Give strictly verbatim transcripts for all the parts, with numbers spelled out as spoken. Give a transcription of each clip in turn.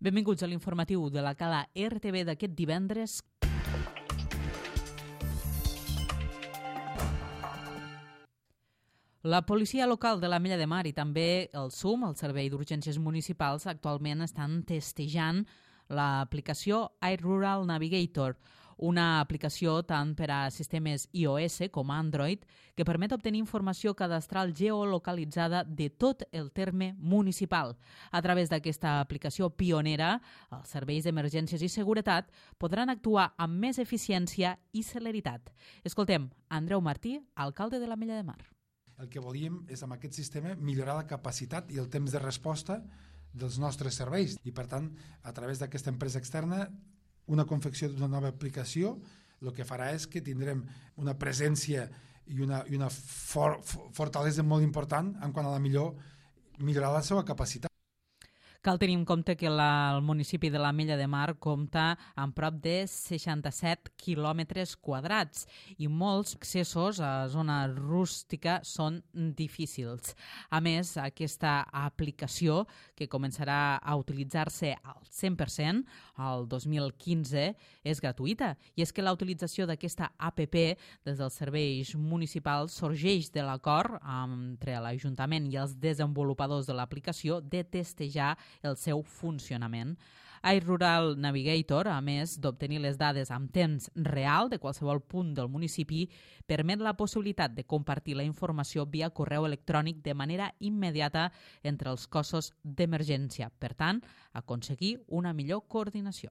Benvinguts a l'informatiu de la Cala R T V d'aquest divendres. La policia local de l'Ametlla de Mar i també el S U M, el Servei d'Urgències Municipals, actualment estan testejant l'aplicació iRural Navigator, una aplicació tant per a sistemes iOS com Android que permet obtenir informació cadastral geolocalitzada de tot el terme municipal. A través d'aquesta aplicació pionera, els serveis d'emergències i seguretat podran actuar amb més eficiència i celeritat. Escoltem Andreu Martí, alcalde de l'Ametlla de Mar. El que volíem és, amb aquest sistema, millorar la capacitat i el temps de resposta dels nostres serveis. I, per tant, a través d'aquesta empresa externa, una confecció d'una nova aplicació, el que farà és que tindrem una presència i una, i una for, fortalesa molt important en quant a la millor millorar la seva capacitat. Cal tenir en compte que la, el municipi de l'Ametlla de Mar compta amb prop de seixanta-set quilòmetres quadrats i molts accessos a zona rústica són difícils. A més, aquesta aplicació, que començarà a utilitzar-se al cent per cent el dos mil quinze, és gratuïta. I és que la utilització d'aquesta app des dels serveis municipals sorgeix de l'acord entre l'Ajuntament i els desenvolupadors de l'aplicació de testejar el seu funcionament. iRural Navigator, a més d'obtenir les dades amb temps real de qualsevol punt del municipi, permet la possibilitat de compartir la informació via correu electrònic de manera immediata entre els cossos d'emergència. Per tant, aconseguir una millor coordinació.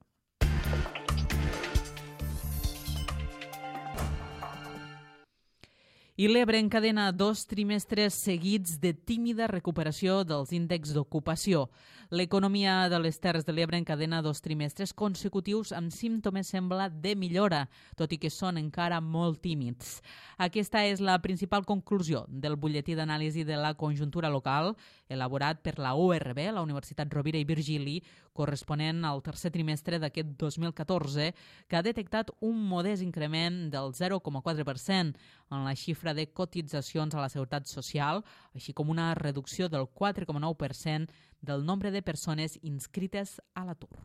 I l'Ebre encadena dos trimestres seguits de tímida recuperació dels índexs d'ocupació. L'economia de les Terres de l'Ebre encadena dos trimestres consecutius amb símptomes, sembla, de millora, tot i que són encara molt tímids. Aquesta és la principal conclusió del butlletí d'anàlisi de la conjuntura local, elaborat per la U R B, la Universitat Rovira i Virgili, corresponent al tercer trimestre d'aquest dos mil catorze, que ha detectat un modest increment del zero coma quatre per cent en la xifra de cotitzacions a la Seguretat Social, així com una reducció del quatre coma nou per cent del nombre de persones inscrites a l'atur.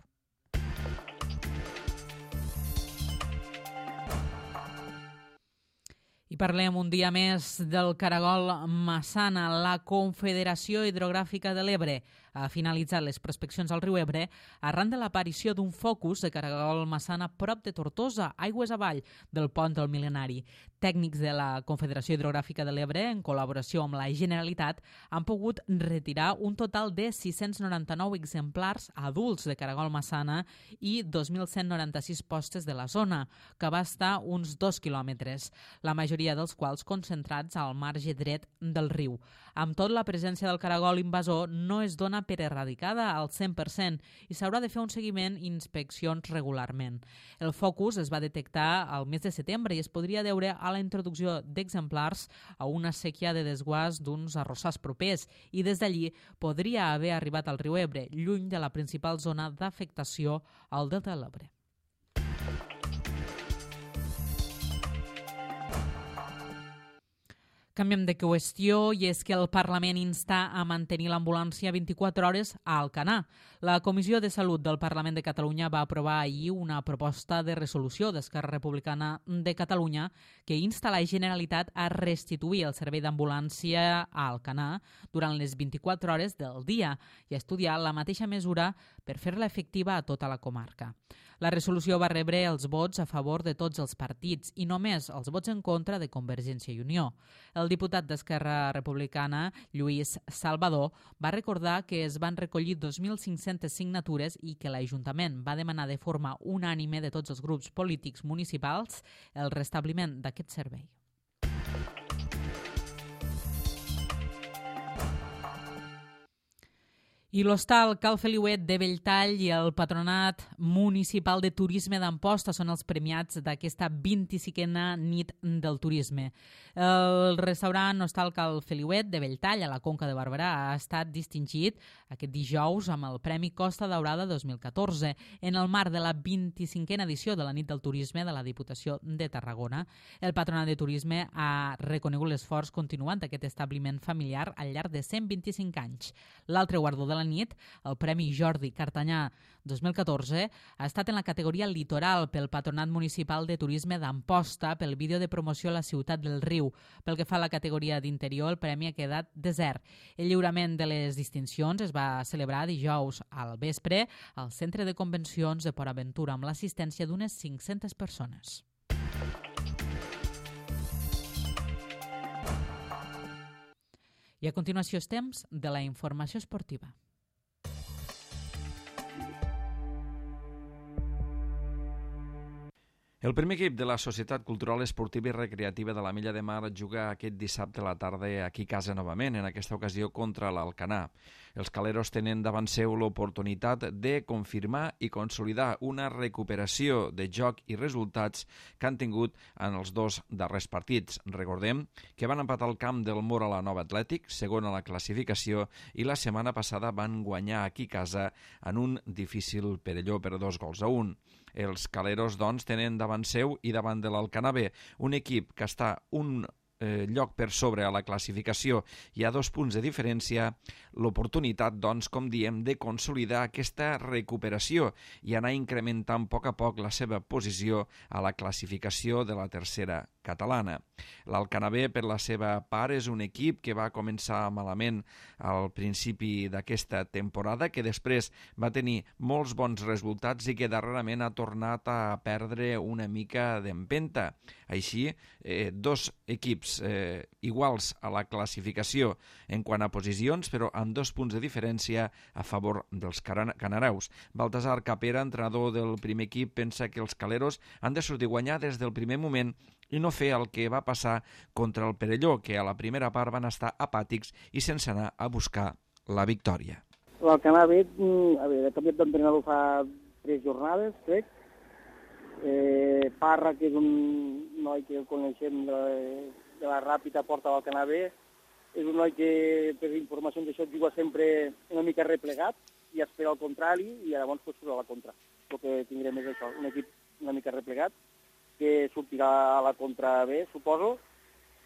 I parlem un dia més del caragol Massana. La Confederació Hidrogràfica de l'Ebre ha finalitzat les prospeccions al riu Ebre arran de l'aparició d'un focus de caragol Massana prop de Tortosa, aigües avall del pont del Mil·lenari. Tècnics de la Confederació Hidrogràfica de l'Ebre, en col·laboració amb la Generalitat, han pogut retirar un total de sis-cents noranta-nou exemplars adults de caragol Massana i dos mil cent noranta-sis postes de la zona, que va estar uns dos quilòmetres. La majoria dels quals concentrats al marge dret del riu. Amb tot, la presència del caragol invasor no es dona per erradicada al cent per cent i s'haurà de fer un seguiment i inspeccions regularment. El focus es va detectar al mes de setembre i es podria deure a la introducció d'exemplars a una sèquia de desguàs d'uns arrossars propers i des d'allí podria haver arribat al riu Ebre, lluny de la principal zona d'afectació al delta de l'Ebre. Canviem de qüestió i és que el Parlament insta a mantenir l'ambulància vint-i-quatre hores a Alcanar. La Comissió de Salut del Parlament de Catalunya va aprovar ahir una proposta de resolució d'Esquerra Republicana de Catalunya que insta la Generalitat a restituir el servei d'ambulància a Alcanar durant les vint-i-quatre hores del dia i a estudiar la mateixa mesura per fer-la efectiva a tota la comarca. La resolució va rebre els vots a favor de tots els partits i només els vots en contra de Convergència i Unió. El diputat d'Esquerra Republicana, Lluís Salvador, va recordar que es van recollir dos mil cinc-centes signatures i que l'Ajuntament va demanar de forma unànime de tots els grups polítics municipals el restabliment d'aquest servei. I l'hostal Cal Feliuet de Belltall i el Patronat Municipal de Turisme d'Amposta són els premiats d'aquesta vint-i-cinquena nit del turisme. El restaurant hostal Cal Feliuet de Belltall, a la Conca de Barberà, ha estat distingit aquest dijous amb el Premi Costa Daurada dos mil catorze, en el marc de la vint-i-cinquena edició de la Nit del Turisme de la Diputació de Tarragona. El Patronat de Turisme ha reconegut l'esforç continuant d'aquest establiment familiar al llarg de cent vint-i-cinc anys. L'altre guardó de la nit, el Premi Jordi Cartanyà dos mil catorze, ha estat en la categoria Litoral pel Patronat Municipal de Turisme d'Amposta pel vídeo de promoció a la ciutat del Riu. Pel que fa a la categoria d'interior, el premi ha quedat desert. El lliurament de les distincions es va celebrar dijous al vespre al Centre de Convencions de Port Aventura amb l'assistència d'unes cinc-centes persones. I a continuació és temps de la informació esportiva. El primer equip de la Societat Cultural Esportiva i Recreativa de l'Ametlla de Mar juga aquest dissabte a la tarda aquí a casa novament, en aquesta ocasió contra l'Alcanar. Els caleros tenen davant seu l'oportunitat de confirmar i consolidar una recuperació de joc i resultats que han tingut en els dos darrers partits. Recordem que van empatar el camp del Mora a la Nova Atlètic, segon a la classificació, i la setmana passada van guanyar aquí a casa en un difícil Perelló per dos gols a un. Els caleros, doncs, tenen davant seu i davant de l'Alcanar B un equip que està un eh, lloc per sobre a la classificació i a dos punts de diferència, l'oportunitat, doncs, com diem, de consolidar aquesta recuperació i anar incrementant a poc a poc la seva posició a la classificació de la tercera catalana. L'Alcanar B, per la seva part, és un equip que va començar malament al principi d'aquesta temporada, que després va tenir molts bons resultats i que darrerament ha tornat a perdre una mica d'empenta. Així, eh, dos equips eh, iguals a la classificació en quant a posicions, però amb dos punts de diferència a favor dels canareus. Baltasar Capera, entrenador del primer equip, pensa que els caleros han de sortir a guanyar des del primer moment i no fer el que va passar contra el Perelló, que a la primera part van estar apàtics i sense anar a buscar la victòria. L'Alcanar B, a veure, he canviat d'entrenador fa tres jornades, crec. Eh, Parra, que és un noi que el coneixem de, de la Ràpita, porta l'Alcanar B. És un noi que, per informacions d'això, juga sempre una mica replegat i espera el contrari i llavors pues, surt a la contra. El que tindrem és això, un equip una mica replegat que sortirà a la contra B, suposo,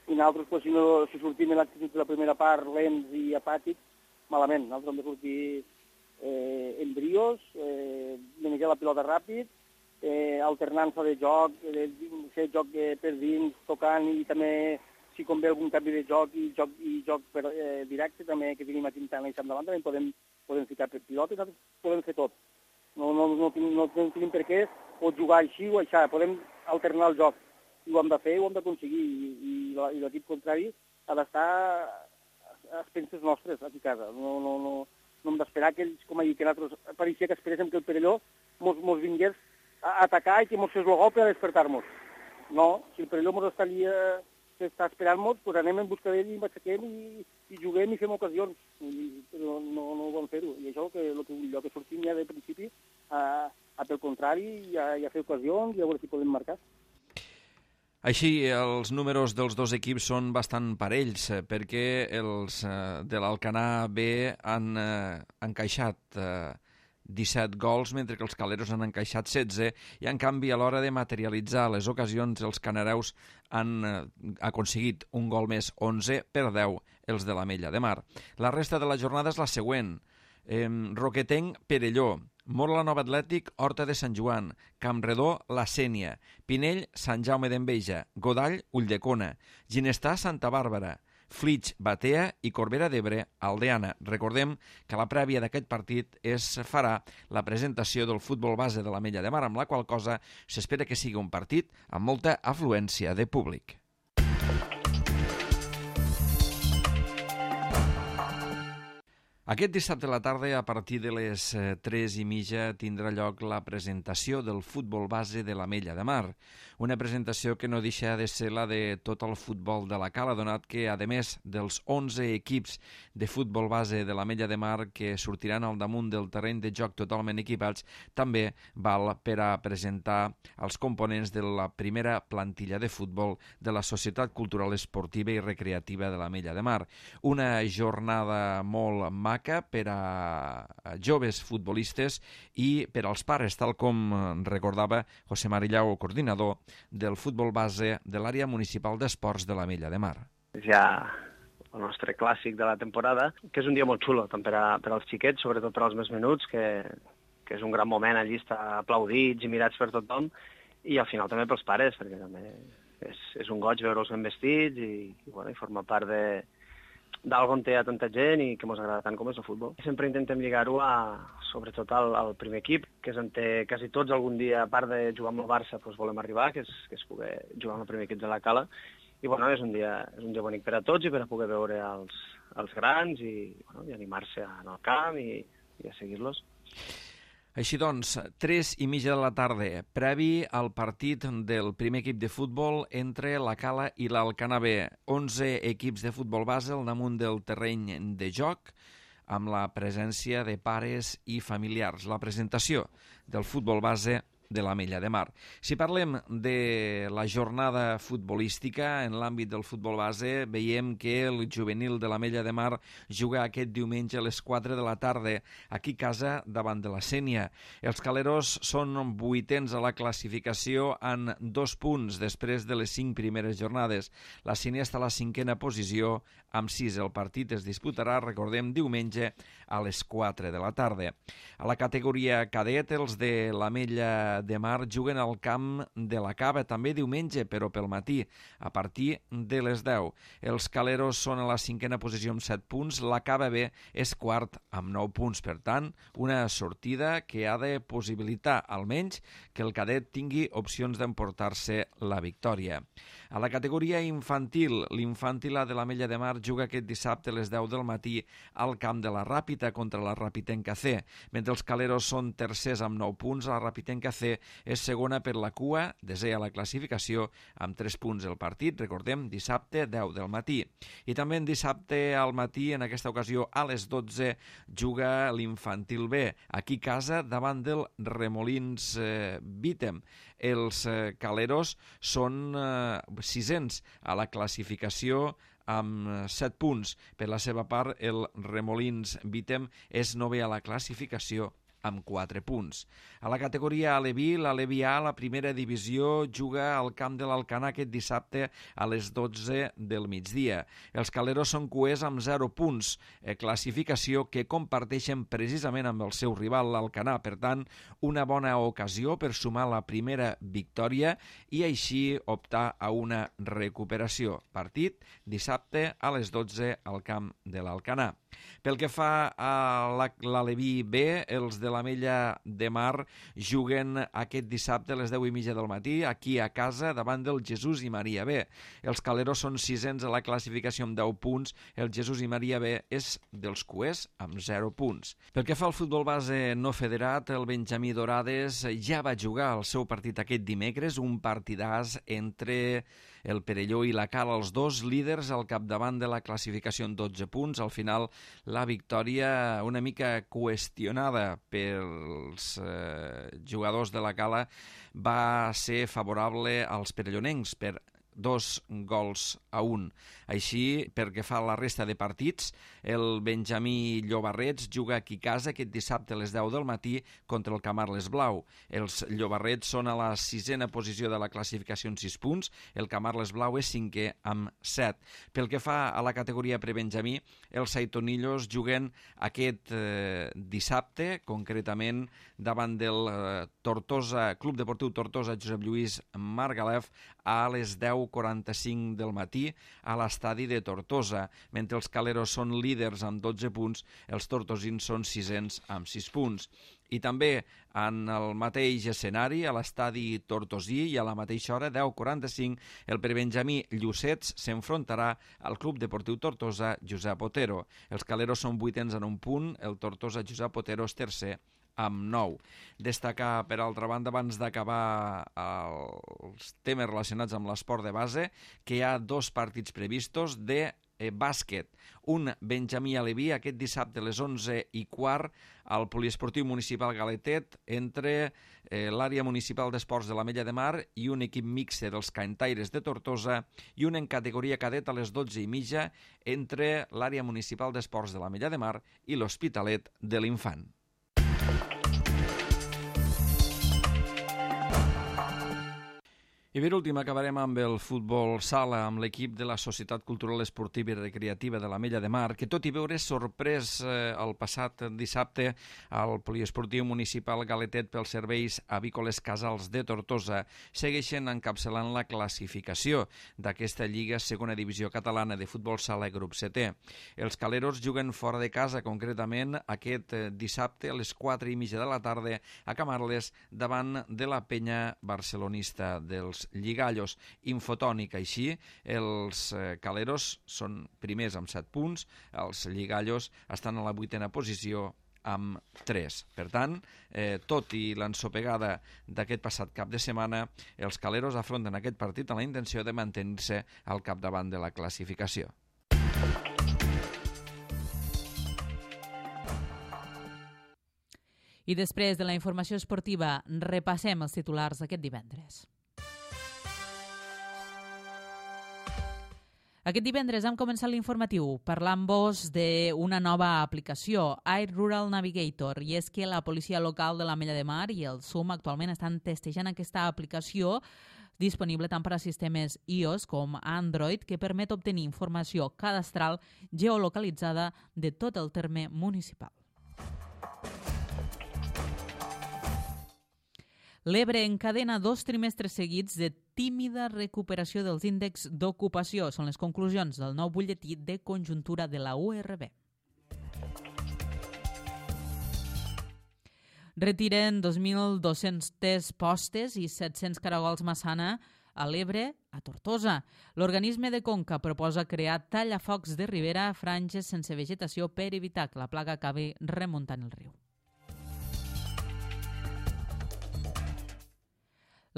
i nosaltres, pues, si, no, si sortim en l'actitud de la primera part lents i apàtics, malament. Nosaltres hem de sortir eh, en brios, eh, manejar la pilota ràpid, eh, alternança de joc, de, fer joc eh, per dins, tocant, i també, si convé algun canvi de joc i joc, i joc per, eh, directe, també que tenim a Quintana i Sant Davant, també podem, podem ficar per pilota i nosaltres podem fer tot. No, no, no, no, no tenim per què o jugar així o així, podem alternar el joc. I ho hem de fer, ho hem d'aconseguir, i, i, i l'equip contrari ha d'estar a expenses nostres aquí a casa. No, no, no, no hem d'esperar que ells, com ha dit, que nosaltres pareixia que esperéssim que el Perelló mos, mos vingués a atacar i que mos fes el gol per a despertar-nos. No, si el Perelló mos estaria, està esperant-nos, doncs anem en busca d'ell i ens aixequem i, i juguem i fem ocasions. I, però no, no ho vam fer-ho. I això que el que, que sortim ja de principi a, a pel contrari i a, i a fer ocasions i a veure si podem marcar. Així, els números dels dos equips són bastant parells, perquè els de l'Alcanar B han eh, encaixat eh, disset gols, mentre que els caleros han encaixat setze, i en canvi a l'hora de materialitzar les ocasions els canareus han eh, aconseguit un gol més, onze per deu els de l'Ametlla de Mar. La resta de la jornada és la següent. Eh, Roquetenc, Perelló, Mora la Nova Atlètic, Horta de Sant Joan, Campredó, La Sénia, Pinell, Sant Jaume d'Enveja, Godall, Ulldecona, Ginestà, Santa Bàrbara, Flix, Batea i Corbera d'Ebre, Aldeana. Recordem que la prèvia d'aquest partit es farà la presentació del futbol base de l'Ametlla de Mar, amb la qual cosa s'espera que sigui un partit amb molta afluència de públic. Aquest dissabte a la tarda, a partir de les tres i mitja, tindrà lloc la presentació del futbol base de l'Ametlla de Mar. Una presentació que no deixa de ser la de tot el futbol de la Cala, donat que, a més dels onze equips de futbol base de l'Ametlla de Mar que sortiran al damunt del terreny de joc totalment equipats, també val per a presentar els components de la primera plantilla de futbol de la Societat Cultural Esportiva i Recreativa de l'Ametlla de Mar. Una jornada molt maca, maca per a joves futbolistes i per als pares, tal com recordava José Marillau, coordinador del futbol base de l'àrea municipal d'esports de l'Ametlla de Mar. Ja el nostre clàssic de la temporada, que és un dia molt xulo, tant per, a, per als xiquets, sobretot per als més menuts, que, que és un gran moment allí estar aplaudits i mirats per tothom, i al final també pels pares, perquè també és, és un goig veure'ls ben vestits i, i, bueno, i formar part de d'algo on té a tanta gent i que ens agrada tant com és el futbol. Sempre intentem lligar-ho a, sobretot al, al primer equip, que és on té quasi tots algun dia, a part de jugar amb el Barça, doncs volem arribar, que és, que és poder jugar amb el primer equip de la Cala. I bueno, és un dia, és un dia bonic per a tots i per a poder veure els, els grans i, bueno, i animar-se en el camp i, i a seguir-los. Així doncs, tres i mitja de la tarda, previ al partit del primer equip de futbol entre la Cala i l'Alcanar B. onze equips de futbol base al damunt del terreny de joc, amb la presència de pares i familiars. La presentació del futbol base de l'Ametlla de Mar. Si parlem de la jornada futbolística en l'àmbit del futbol base, veiem que el juvenil de l'Ametlla de Mar juga aquest diumenge a les quatre de la tarda aquí a casa davant de la Sénia. Els caleros són vuitens a la classificació en dos punts després de les cinc primeres jornades. La Sénia està a la cinquena posició amb sis. El partit es disputarà, recordem, diumenge a les quatre de la tarda. A la categoria cadet, els de l'Ametlla de Mar juguen al camp de la Cava també diumenge, però pel matí, a partir de les deu. Els caleros són a la cinquena posició amb set punts, la Cava B és quart amb nou punts. Per tant, una sortida que ha de possibilitar almenys que el cadet tingui opcions d'emportar-se la victòria. A la categoria infantil, l'infantil A de l'Ametlla de Mar juga aquest dissabte a les deu del matí al camp de la Ràpita contra la Rapitenca C. Mentre els caleros són tercers amb nou punts, la Rapitenca C és segona per la cua, desè a la classificació amb tres punts. El partit, recordem, dissabte deu del matí. I també en dissabte al matí, en aquesta ocasió a les dotze, juga l'infantil B, aquí a casa davant del Remolins eh, Vítem. Els eh, caleros són eh, sisens a la classificació amb set punts. Per la seva part, el Remolins Vítem és novè a la classificació amb quatre punts. A la categoria Aleví, l'Aleví A, la primera divisió, juga al camp de l'Alcanar aquest dissabte a les dotze del migdia. Els caleros són cuers amb zero punts, eh, classificació que comparteixen precisament amb el seu rival, l'Alcanar. Per tant, una bona ocasió per sumar la primera victòria i així optar a una recuperació. Partit dissabte a les dotze al camp de l'Alcanar. Pel que fa a l'Aleví B, els de l'Ametlla de Mar juguen aquest dissabte a les deu i mitja del matí aquí a casa davant del Jesús i Maria B. Els caleros són sisens a la classificació amb deu punts, el Jesús i Maria B és dels cuers amb zero punts. Pel que fa al futbol base no federat, el Benjamí Dorades ja va jugar el seu partit aquest dimecres, un partidàs entre el Perelló i la Cala, els dos líders al capdavant de la classificació en dotze punts. Al final, la victòria una mica qüestionada pels eh, jugadors de la Cala va ser favorable als perellonencs per dos gols a un. Així, perquè fa la resta de partits, el Benjamí Llobarrets juga aquí a casa aquest dissabte a les deu del matí contra el Camarles Blau. Els Llobarrets són a la sisena posició de la classificació amb sis punts, el Camarles Blau és cinquè amb set. Pel que fa a la categoria prebenjamí, els Saitonillos juguen aquest eh, dissabte, concretament davant del eh, Tortosa, Club Deportiu Tortosa Josep Lluís Margalef a les deu quaranta-cinc del matí a l'estadi de Tortosa. Mentre els caleros són líders amb dotze punts, els tortosins són sisens amb sis punts. I també en el mateix escenari, a l'estadi tortosí i a la mateixa hora, deu quaranta-cinc, el prebenjamí Llucets s'enfrontarà al Club Deportiu Tortosa Josep Otero. Els caleros són vuitens en un punt, el Tortosa Josep Otero és tercer amb nou. Destacar, per altra banda, abans d'acabar els temes relacionats amb l'esport de base, que hi ha dos partits previstos de eh, bàsquet. Un Benjamí Aleví aquest dissabte a les onze i quart al Poliesportiu Municipal Galetet entre eh, l'àrea municipal d'esports de l'Ametlla de Mar i un equip mixte dels Cantaires de Tortosa i un en categoria cadet a les dotze i mitja entre l'àrea municipal d'esports de l'Ametlla de Mar i l'Hospitalet de l'Infant. I per últim acabarem amb el futbol sala, amb l'equip de la Societat Cultural Esportiva i Recreativa de l'Ametlla de Mar, que tot i veure sorprès eh, el passat dissabte al Poliesportiu Municipal Galetet pels serveis avícoles Casals de Tortosa, segueixen encapçalant la classificació d'aquesta Lliga Segona Divisió Catalana de Futbol Sala grup setè. Els caleros juguen fora de casa, concretament aquest dissabte a les quatre i mitja de la tarda a Camarles davant de la penya barcelonista dels Lligallos. Infotònic, així, els eh, caleros són primers amb set punts, els Lligallos estan a la vuitena posició amb tres. Per tant, eh, tot i l'ensopegada d'aquest passat cap de setmana, els caleros afronten aquest partit amb la intenció de mantenir-se al capdavant de la classificació. I després de la informació esportiva, repassem els titulars d'aquest divendres. Aquest divendres hem començat l'informatiu parlant-vos d'una nova aplicació, Air Rural Navigator, i és que la policia local de l'Ametlla de Mar i el S U M actualment estan testejant aquesta aplicació disponible tant per a sistemes iOS com Android, que permet obtenir informació cadastral geolocalitzada de tot el terme municipal. L'Ebre encadena dos trimestres seguits de tímida recuperació dels índexs d'ocupació. Són les conclusions del nou butlletí de conjuntura de la U R B. Retiren dos mil dos-centes postes i set-cents caragols massana a l'Ebre, a Tortosa. L'organisme de Conca proposa crear tallafocs de ribera a franges sense vegetació per evitar que la plaga acabi remuntant el riu.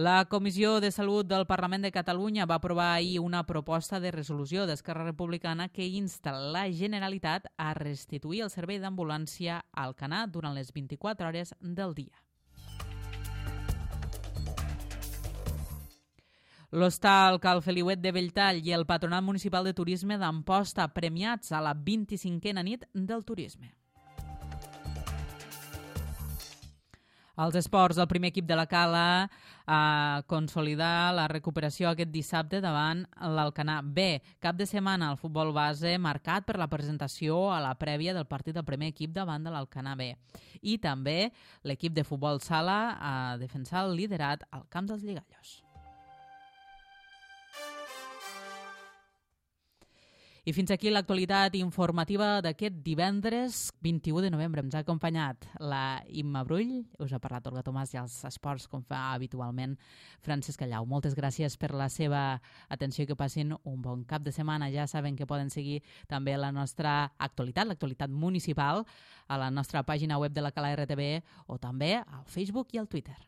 La Comissió de Salut del Parlament de Catalunya va aprovar ahir una proposta de resolució d'Esquerra Republicana que insta la Generalitat a restituir el servei d'ambulància a Alcanar durant les vint-i-quatre hores del dia. L'Hostal Cal Feliuet de Belltall i el Patronat Municipal de Turisme d'Amposta premiats a la vint-i-cinquena nit del turisme. Els esports, el primer equip de la Cala a consolidar la recuperació aquest dissabte davant l'Alcanar B. Cap de setmana al futbol base marcat per la presentació a la prèvia del partit del primer equip davant de l'Alcanar B. I també l'equip de futbol sala a defensar el liderat al camp dels Lligallos. I fins aquí l'actualitat informativa d'aquest divendres vint-i-u de novembre. Ens ha acompanyat la Imma Brull, us ha parlat Olga Tomàs i els esports com fa habitualment Francesc Callau. Moltes gràcies per la seva atenció i que passin un bon cap de setmana. Ja saben que poden seguir també la nostra actualitat, l'actualitat municipal, a la nostra pàgina web de la Cala R T B o també al Facebook i al Twitter.